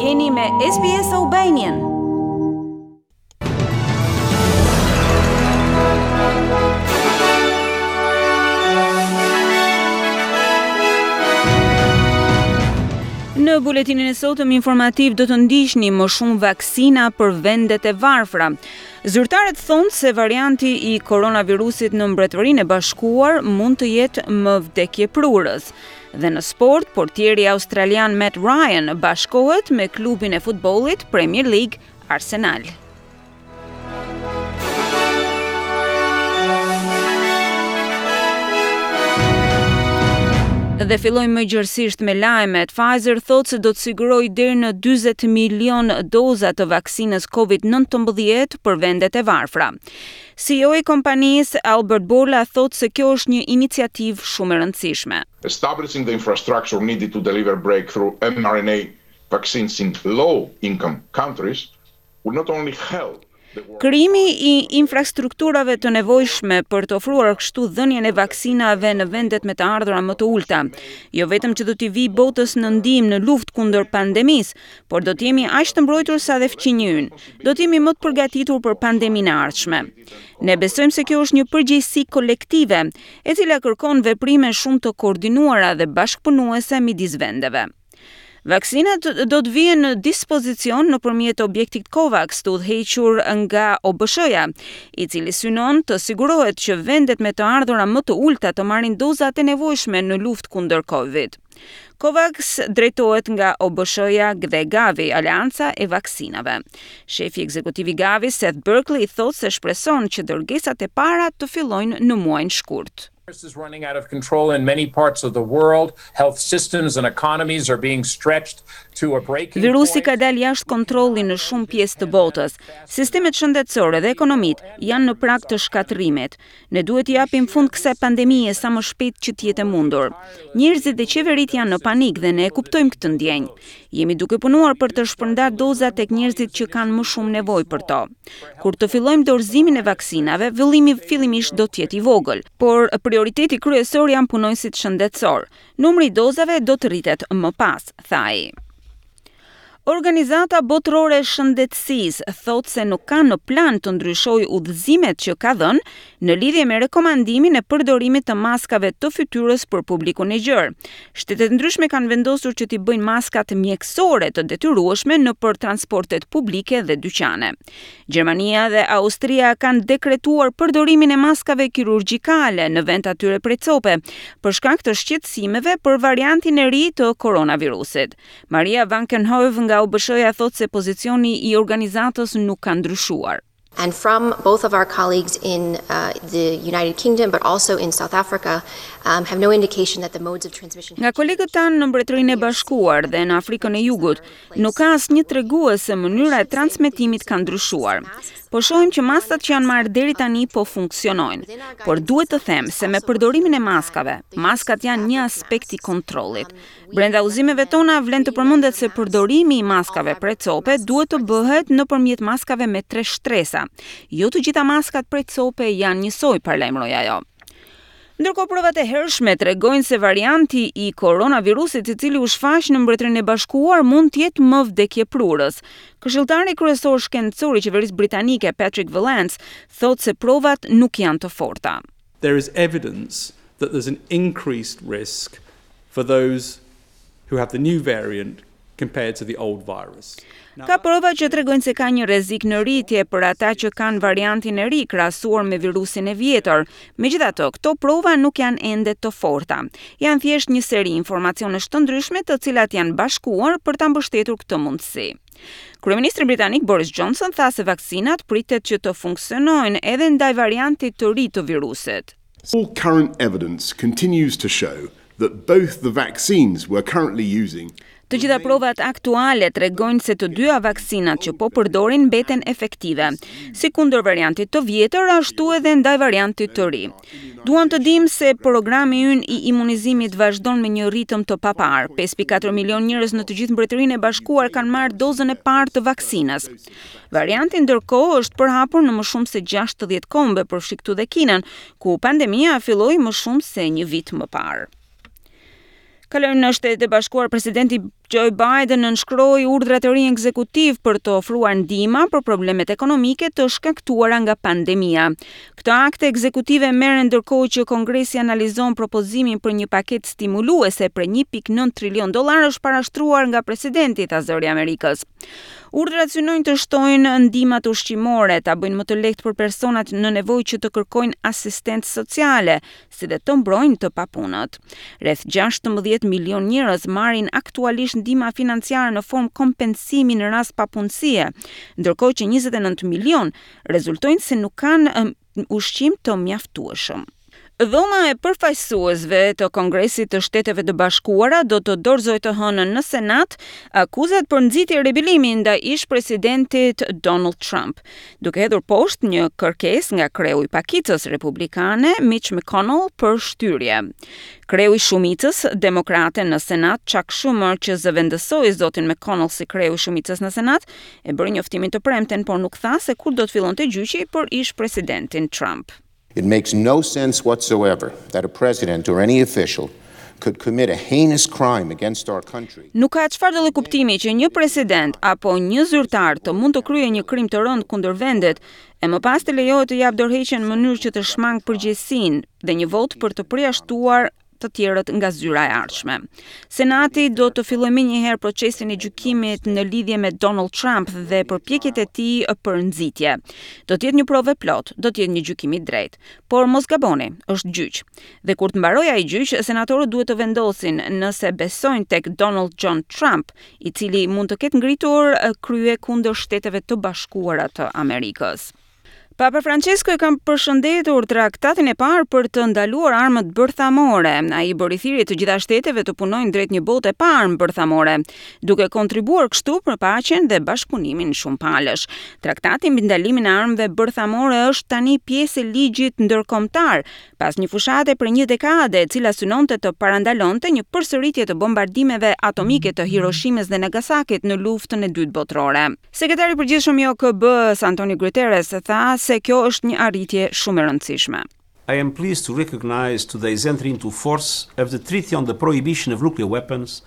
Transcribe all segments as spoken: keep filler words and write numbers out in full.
Jeni me S B S Albanian. Në buletinin e sotëm informativ do të ndiqni më shumë vaksina për vendet e varfra. Zyrtarët thonë se varianti i koronavirusit në Mbretërinë e Bashkuar mund të jetë më vdekjeprurës. Dhe në sport, portieri australian Matt Ryan bashkohet me klubin e futbollit Premier League Arsenal. Dhe fillojmë më gjërësisht me lajmet. Pfizer thotë se do të sigurojë deri në dyzet milion doza të vaksinës Covid nëntëmbëdhjetë për vendet e varfra. C E O i kompanisë Albert Bourla thotë se kjo është një iniciativë shumë e rëndësishme. Establishing the infrastructure needed to deliver breakthrough m R N A vaccines in low-income countries will not only help Krijimi i infrastrukturave të nevojshme për të ofruar kështu dhënien e vaksinave në vendet me të ardhura më të ulta, jo vetëm që do t'i vi botës në ndihmë në luftë kundër pandemisë, por do të jemi aq të mbrojtur sa dhe fqinji ynë. Do të jemi më të përgatitur për pandeminë e ardhshme. Ne besojmë se kjo është një përgjegjësi kolektive, e cila kërkon veprime shumë të koordinuara dhe bashkëpunuese midis vendeve. Vaksinat do të vihen në dispozicion nëpërmjet objektit COVAX të udhëhequr nga O B Sh-ja, i cili synon të sigurohet që vendet me të ardhura më të ulta të marrin dozat e nevojshme në luftë kundër Covid. COVAX drejtohet nga O B Sh-ja dhe Gavi, Aleanca e Vaksinave. Shefi ekzekutiv i Gavi, Seth Berkley, thotë se shpreson që dërgesat e para të fillojnë në muajin shkurt. Is running out of control in many parts of the world. Health systems and economies are being stretched to a breaking Virusi ka dalë jashtë kontrolli në shumë pjesë të botës. Sistemet shëndetësore dhe ekonomitë janë në prag të shkatërrimit. Ne duhet t'i japim fund kësaj pandemie sa më shpejt që të jetë e mundur. Njerëzit dhe qeveritë janë në panik dhe ne e kuptojmë këtë ndjenjë. Jemi duke punuar për të shpërndarë doza tek njerëzit që kanë më shumë nevojë për to. Kur të fillojmë dorëzimin e vaksinave, vëllimi fillimisht do të jetë i vogël, por prioriteti kryesor janë punonjësit shëndetësor. Numri i dozave do të rritet më pas, tha ai. Organizata Botërore e Shëndetësisë thotë se nuk ka në plan të ndryshojë udhëzimet që ka dhënë në lidhje me rekomandimin e përdorimit të maskave të fytyrës për publikun e gjerë. Shtetet ndryshme kanë vendosur që t'i bëjnë maskat mjekësore të detyrueshme në për transportet publike dhe dyqane. Gjermania dhe Austria kanë dekretuar përdorimin e maskave kirurgjikale në vend atyre prej cope, për shkak të shqetësimeve për variantin e ri të koronavirusit. Maria Van Kerkhove nga O B Sh-ja thotë se pozicioni i organizatës nuk ka ndryshuar. And from both of our colleagues in uh, the United Kingdom, but also in South Africa, um, have no indication that the modes of transmission Nga kolegët tanë në Mbretërinë e Bashkuar dhe në Afrikën e Jugut, nuk ka asnjë tregues se mënyra e transmetimit ka ndryshuar. Po shohim që masat që janë marrë deri tani po funksionojnë, por duhet të them se me përdorimin e maskave, maskat janë një aspekt i kontrollit. Brenda udhëzimeve tona vlen të përmendet se përdorimi i maskave prej cope duhet të bëhet nëpërmjet maskave me tre shtresa. Jo të gjitha maskat prej cope janë njësoj, paralajmëroi ajo. Ndërkohë, provat e hershme tregojnë se varianti i koronavirusit, i cili u shfaq në Mbretërinë e Bashkuar, mund të jetë më vdekjeprurës. Këshilltari kryesor shkencor i qeverisë britanike Patrick Vallance thotë se provat nuk janë të forta. There is evidence that there's an increased risk for those who have the new variant compared to the old virus. Ka prova që tregojnë se ka një rrezik në rritje për ata që kanë variantin e ri krahasuar me virusin e vjetër. Megjithatë, këto prova nuk janë ende të forta. Janë thjesht një seri informacionesh të ndryshme, të cilat janë bashkuar për ta mbështetur këtë mundësi. Kryeministri britanik Boris Johnson tha se vaksinat pritet që të funksionojnë edhe ndaj variantit të ri të virusit. All current evidence continues to show that both the vaccines we're currently using Të gjitha provat aktuale tregojnë se të dyja vaksinat që po përdorin mbeten efektive, si kundër variantit të vjetër, ashtu edhe ndaj variantit të ri. Duam të dimë se programi ynë i imunizimit vazhdon me një ritëm të paparë. pesë pikë katër milion njerëz në të gjithë Mbretërinë e Bashkuar kanë marrë dozën e parë të vaksinës. Varianti ndërkohë është përhapur në më shumë se gjashtëdhjetë kombe, përfshi këtu dhe Kinën, ku pandemia filloi më shumë se një vit më parë. Kalojmë në Shtetet e Bashkuara. Presidenti Joe Biden nënshkroi urdhrat e rinj ekzekutiv për të ofruar ndihma për problemet ekonomike të shkaktuara nga pandemia. Këto akte ekzekutive merren ndërkohë që Kongresi analizon propozimin për një paketë stimuluese prej një pikë nëntë trilion dollarësh parashtruar nga presidenti, tha Zëri i Amerikës. Urdhrat synojnë të shtojnë ndihmat ushqimore, ta bëjnë më të lehtë për personat në nevojë që të kërkojnë asistencë sociale, si dhe të mbrojnë të papunët. Rreth gjashtëmbëdhjetë milion njerëz marrin aktualisht ndihma financiare në formë kompensimi në rast papunësie, ndërkohë që njëzet e nëntë milion rezultojnë se nuk kanë ushqim të mjaftueshëm. Dhoma e përfaqësuesve të Kongresit të Shteteve të Bashkuara do të dorëzojë të hënën në Senat akuzat për nxitje rebelimi ndaj ish presidentit Donald Trump, duke hedhur poshtë një kërkesë nga kreu i pakicës republikane Mitch McConnell për shtyrje. Kreu i shumicës demokrate në Senat, Chuck Schumer, që zëvendësoi zotin McConnell si kreu i shumicës në Senat, e bëri njoftimin të premten, por nuk tha se kur do të fillonte gjyqi për ish presidentin Trump. It makes no sense whatsoever that a president or any official could commit a heinous crime against our country. Nuk ka çfarë do lloj kuptimi që një president apo një zyrtar të mund të kryejë një krim të rëndë kundër vendit e më pas të lejohet të japë dorëheqjen në mënyrë që të shmang përgjegjësinë dhe një votë për të përjashtuar të tjerët nga zyra e ardhshme. Senati do të fillojë menjëherë procesin e gjykimit në lidhje me Donald Trump dhe përpjekjet e tij për nxitje. Do të jetë një provë e plotë, do të jetë një gjykim i drejtë, por mos gaboni, është gjyq. Dhe kur të mbarojë ai gjyq, senatorët duhet të vendosin nëse besojnë tek Donald John Trump, i cili mund të ketë ngritur krye kundër Shteteve të Bashkuara të Amerikës. Papa Francesco e ka përshëndetur traktatin e parë për të ndaluar armët bërthamore. Ai bëri thirrje të gjitha shteteve të punojnë drejt një bote pa armë bërthamore, duke kontribuar kështu për paqen dhe bashkëpunimin shumëpalësh. Traktati mbi ndalimin e armëve bërthamore është tani pjesë e ligjit ndërkombëtar, pas një fushate për një dekade e cila synonte të parandalonte një përsëritje të bombardimeve atomike të Hiroshimës dhe Nagasakit në luftën e dytë botërore. Sekretari i përgjithshëm i O K B-s, Antonio Guterres, tha se kjo është një arritje shumë e rëndësishme. I am pleased to recognize today's entry into force of the Treaty on the Prohibition of Nuclear Weapons.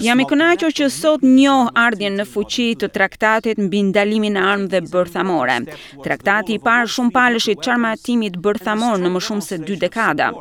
Jam i kënaqur që sot njoh ardhjen në fuqi të traktatit mbi ndalimin e armëve bërthamore. Traktati i parë shumëpalësh i çarmatimit bërthamor në më shumë se dy dekada.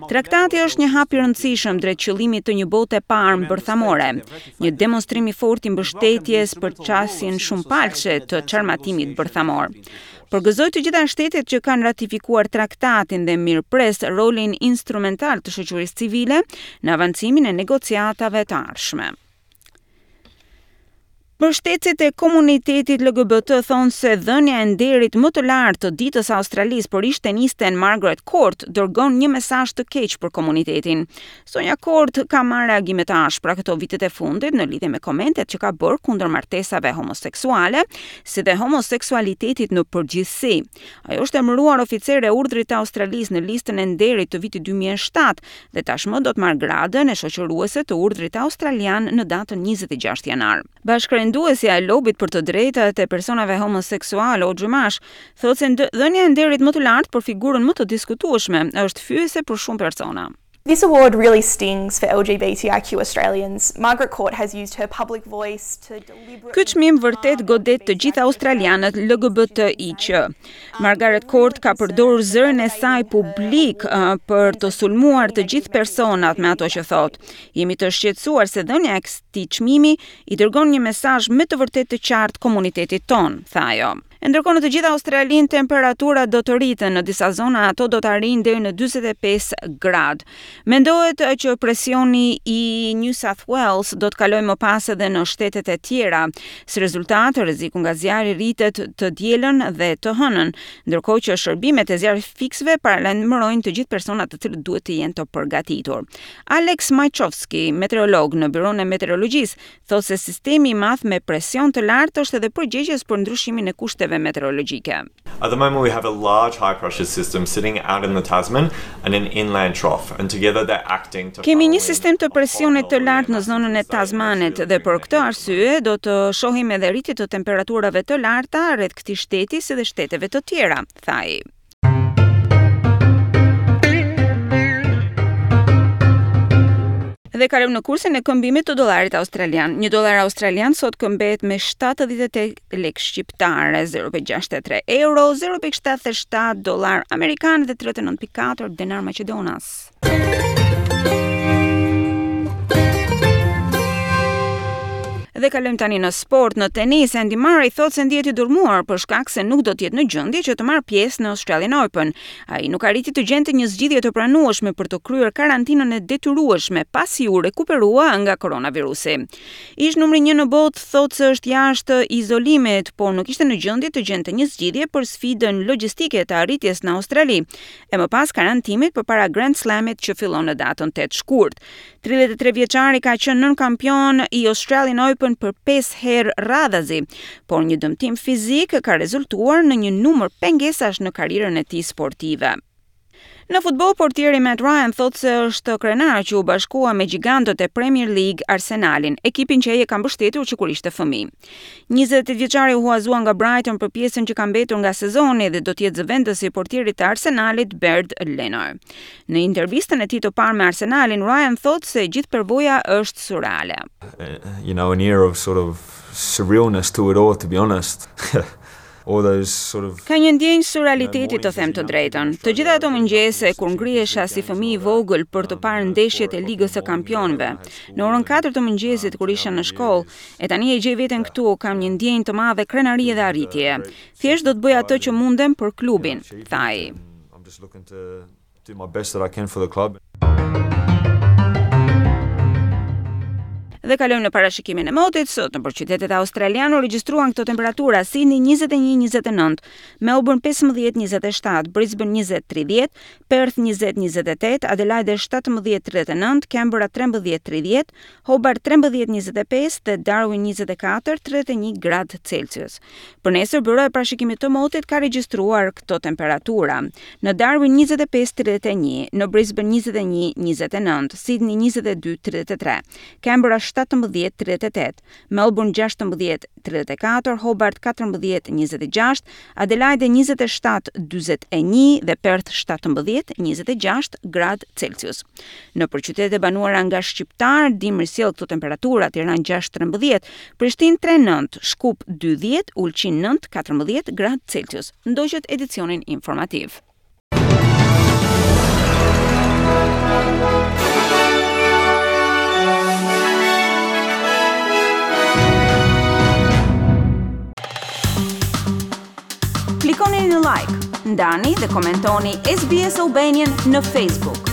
Traktati është një hap i rëndësishëm drejt qëllimit të një bote pa armë bërthamore, një demonstrim i fortë i mbështetjes për qasjen shumëpalëshe të çarmatimit bërthamor. Përgëzoj të gjitha shtetet që kanë ratifikuar traktatin dhe mirëpres rolin instrumental të shoqërisë civile në avancimin e negociatave të ardhshme. Mbështetësit e komunitetit L G B T thonë se dhënia e nderit më të lartë të ditës së Australisë për ish-tenisten Margaret Court dërgon një mesazh të keq për komunitetin. Sonja Court ka marrë reagime të ashpra këto vitet e fundit në lidhje me komentet që ka bërë kundër martesave homoseksuale, si dhe homoseksualitetit në përgjithësi. Ajo është emëruar oficere e urdhrit të Australisë në listën e nderit të vitit dy mijë e shtatë dhe tashmë do të marrë gradën e shoqëruese të urdhrit australian në datën njëzet e gjashtë janar. Bashkërenduesja e lobit për të drejtat e personave homoseksuale, Audrey Marsh, thotë se dhënia e nderit më të lartë për figurën më të diskutueshme është fyese për shumë persona. This award really stings for L G B T I Q Australians. Margaret Court has used her public voice to deliberately Ky çmim vërtet godet të gjithë australianët L G B T I Q. Margaret Court ka përdorur zërin e saj publik uh, për të sulmuar të gjithë personat me ato që thotë. Jemi të shqetësuar se dhënia e këtij çmimi i dërgon një mesazh me të vërtetë të qartë komunitetit ton, tha ajo. E ndërkohë në të gjithë Australinë temperaturat do të rriten, në disa zona ato do të arrijnë deri në dyzet e pesë gradë. Mendohet që presioni i New South Wales do të kalojë më pas edhe në shtetet e tjera. Si rezultat, rreziku nga zjarri rritet të dielën dhe të hënën, ndërkohë që shërbimet e zjarrfikësve paralajmërojnë të gjithë personat të cilët duhet të jenë të përgatitur. Alex Majchowski, meteorolog në Byronë e Meteorologjisë, thotë se sistemi i madh me presion të lartë është edhe përgjegjës për ndryshimin e kushteve meteorologjike. At the moment we have a large high pressure system sitting out in the Tasman and an inland trough, and together they're acting to Kemi një sistem të presionit të lartë në zonën e Tasmanit dhe për këtë arsye do të shohim edhe rritje të temperaturave të larta rreth këtij shteti si dhe shteteve të tjera, tha ai. Dhe kalojmë në kursin e këmbimit të dollarit australian. Një dollar australian sot këmbehet me shtatëdhjetë e tetë lekë shqiptare, zero pikë gjashtëdhjetë e tre euro, zero pikë shtatëdhjetë e shtatë dollar amerikan dhe tridhjetë e nëntë pikë katër denar maqedonas. Dhe kalojmë tani në sport, në tenis. Andy Murray thotë se ndihet i dërmuar për shkak se nuk do të jetë në gjendje që të marrë pjesë në Australian Open. Ai nuk arriti të gjente një zgjidhje të pranueshme për të kryer karantinën e detyrueshme pasi u rekuperua nga koronavirusi. Ish numri një në botë thotë se është jashtë izolimit, por nuk ishte në gjendje të gjente një zgjidhje për sfidën logjistike të arritjes në Australi, e më pas karantimit përpara Grand Slamit që fillon në datën tetë shkurt. tridhjetë e tre vjeçari ka qenë nën kampion i Australian Open për pesë herë radhazi, por një dëmtim fizik ka rezultuar në një numër pengesash në karrierën e tij sportive. Në futboll, portieri Matt Ryan thotë se është krenar që u bashkua me gjigantët e Premier League Arsenalin, ekipin që ai e ka mbështetur që kur ishte fëmijë. njëzet e tetë vjeçari u huazua nga Brighton për pjesën që ka mbetur nga sezoni dhe do të jetë zëvendës i portierit të Arsenalit Bernd Leno. Në intervistën e tij të parë me Arsenalin, Ryan thotë se gjithë përvoja është surreale. Uh, you know, an era of sort of surrealness to it all, to be honest. All those sort of Ka një ndjenjë surrealiteti, të them të drejtën. Të gjitha ato mëngjese kur ngrihesha si fëmijë i vogël për të parë ndeshjet e Ligës së Kampionëve, në orën katër të mëngjesit kur isha në shkollë, e tani e gjej veten këtu, kam një ndjenjë të madhe krenarie dhe arritje. Thjesht do të bëj atë që mundem për klubin, tha ai. I'm just looking to do my best that I can for the club. Dhe kalojmë në parashikimin e motit. Sot në qytetet australiane u regjistruan këto temperatura: Sydney njëzet e një njëzet e nëntë, Melbourne pesëmbëdhjetë njëzet e shtatë, Brisbane njëzet tridhjetë, Perth njëzet njëzet e tetë, Adelaide shtatëmbëdhjetë tridhjetë e nëntë, Canberra trembëdhjetë tridhjetë, Hobart trembëdhjetë njëzet e pesë dhe Darwin njëzet e katër tridhjetë e një gradë Celsius. Për nesër, byroja e parashikimit të motit ka regjistruar këto temperatura: në Darwin njëzet e pesë tridhjetë e një, në Brisbane njëzet e një njëzet e nëntë, Sydney njëzet e dy tridhjetë e tre, Canberra shtatëmbëdhjetë tridhjetë e tetë, Melbourne gjashtëmbëdhjetë tridhjetë e katër, Hobart katërmbëdhjetë njëzet e gjashtë, Adelaide njëzet e shtatë dyzet e një dhe Perth shtatëmbëdhjetë njëzet e gjashtë gradë Celsius. Në përqytetet e banuara nga shqiptar, dimri sjell këto temperatura: Tiranë gjashtë trembëdhjetë, Prishtinë tre nëntë, Shkup dy dhjetë, Ulqin nëntë katërmbëdhjetë gradë Celsius. Ndoqët edicionin informativ. Klikoni në like, ndani dhe komentoni S B S Albanian në Facebook.